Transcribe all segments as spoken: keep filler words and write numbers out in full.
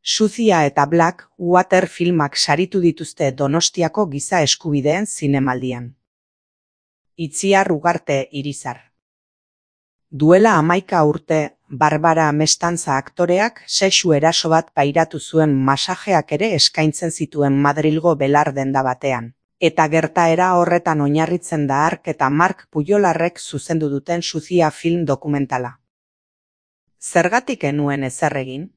Sucia eta Black Water filmak saritu dituzte Donostiako Giza Eskubideen Zinemaldian. Itziar Ugarte Irizar. Duela hamaika urte, Barbara Mestantza aktoreak sexu eraso bat pairatu zuen masajeak ere eskaintzen zituen Madrilgo belar denda batean. Eta gertaera horretan oinarritzen da Ark eta Mark Pujolarrek zuzendu duten Sucia film dokumentala. Zergatik enuen ezer egin?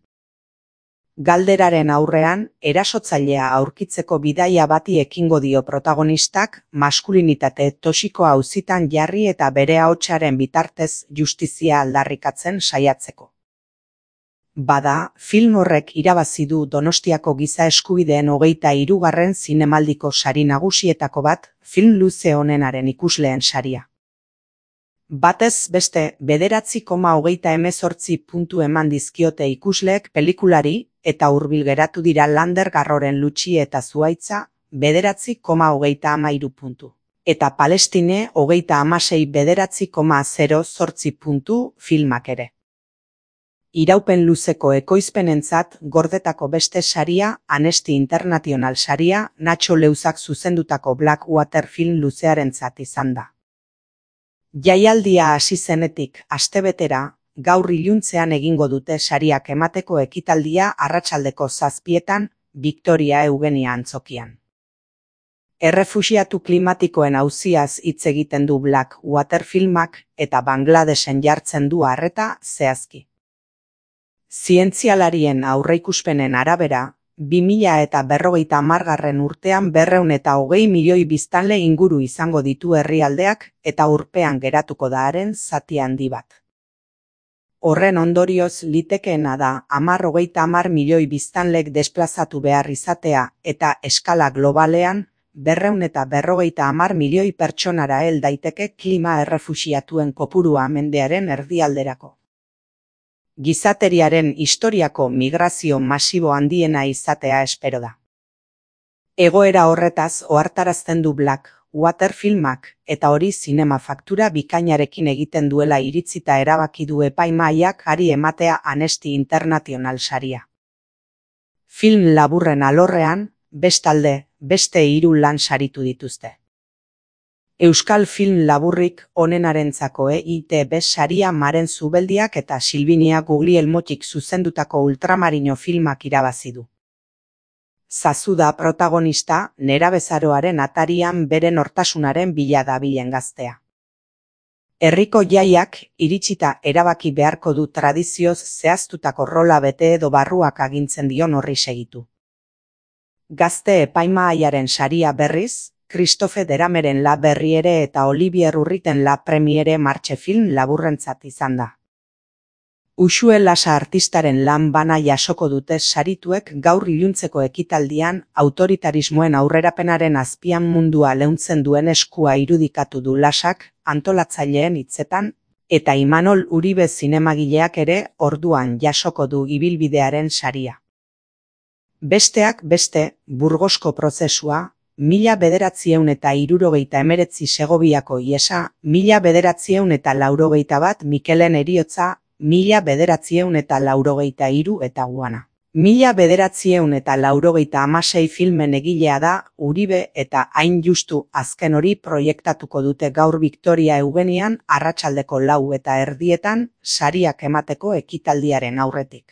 Galderaren aurrean, erasotzailea aurkitzeko bidaia bati ekingo dio protagonistak, maskulinitate toxikoa auzitan jarri eta bere ahotsaren bitartez justizia aldarrikatzen saiatzeko. Bada, film horrek irabazi du Donostiako Giza Eskubideen hogeita hirugarren zinemaldiko sari nagusietako bat, film luze honenaren ikusleen saria. Batez beste, bederatzi koma hogeita hemezortzi puntu eman dizkiote ikusleek pelikulari, eta hurbil geratu dira Lander Garroren Lutxi eta Zuhaitza, bederatzi koma hogeita hamairu puntu. Eta Palestine hogeita hamasei bederatzi koma zero zortzi puntu filmak ere. Iraupen luzeko ekoizpenentzat gordetako beste saria, Amnesty International saria, Nacho Leuzak zuzendutako Black Water film luzearentzat izan da. Jaialdia hasi zenetik astebetera, gaur iluntzean egingo dute sariak emateko ekitaldia arratsaldeko zazpietan, Victoria Eugenia antzokian. Errefuxiatu klimatikoen auziaz hitz egiten du Black Water filmak eta Bangladesen jartzen du arreta zehazki. Zientzialarien aurreikuspenen arabera, bi mila eta berrogeita hamargarren urtean berrehun eta hogei milioi biztanle inguru izango ditu herrialdeak eta urpean geratuko da haren zati handi bat. Horren ondorioz litekeena da hamar hogeita hamar milioi biztanlek desplazatu behar izatea eta eskala globalean berrehun eta berrogeita hamar milioi pertsonara hel daiteke klima errefuxiatuen kopurua mendearen erdialderako. Gizateriaren historiako migrazio masibo handiena izatea espero da. Egoera horretaz ohartarazten du Black Water filmak eta hori zinema faktura bikainarekin egiten duela iritzita erabaki du epaimahaiak hari ematea Amnesty International saria. Film laburren alorrean, bestalde, beste hiru lan saritu dituzte. Euskal film laburrik onenarentzako E I T B saria Maren Zubeldiak eta Silvinia Guglielmotik zuzendutako Ultramarino filmak irabazi du. Zazu da protagonista, nerabezaroaren atarian bere nortasunaren bila dabilen gaztea. Herriko jaiak iritsita erabaki beharko du tradizioz zehaztutako rola bete edo barruak agintzen dion horri segitu. Gazte epaimahaiaren saria berriz, Christophe Derameren La Berriere eta Olivier Urriten La Premiere martxe film laburrentzat izan da. Uxue Lasa artistaren lan bana jasoko dute sarituek gaur iluntzeko ekitaldian autoritarismoen aurrerapenaren azpian mundua leuntzen duen eskua irudikatu du Lasak antolatzaileen hitzetan, eta Imanol Uribe zinemagileak ere orduan jasoko du ibilbidearen saria. Besteak beste, Burgosko prozesua, mila bederatziehun eta hirurogeita hemeretzi Segoviako ihesa, mila bederatziehun eta laurogeita bat Mikelen heriotza, mila bederatziehun eta laurogeita hiru eta Guana. Mila bederatziehun eta laurogeita hamasei filmen egilea da Uribe eta hain justu azken hori proiektatuko dute gaur Victoria Eugenian arratsaldeko lau eta erdietan sariak emateko ekitaldiaren aurretik.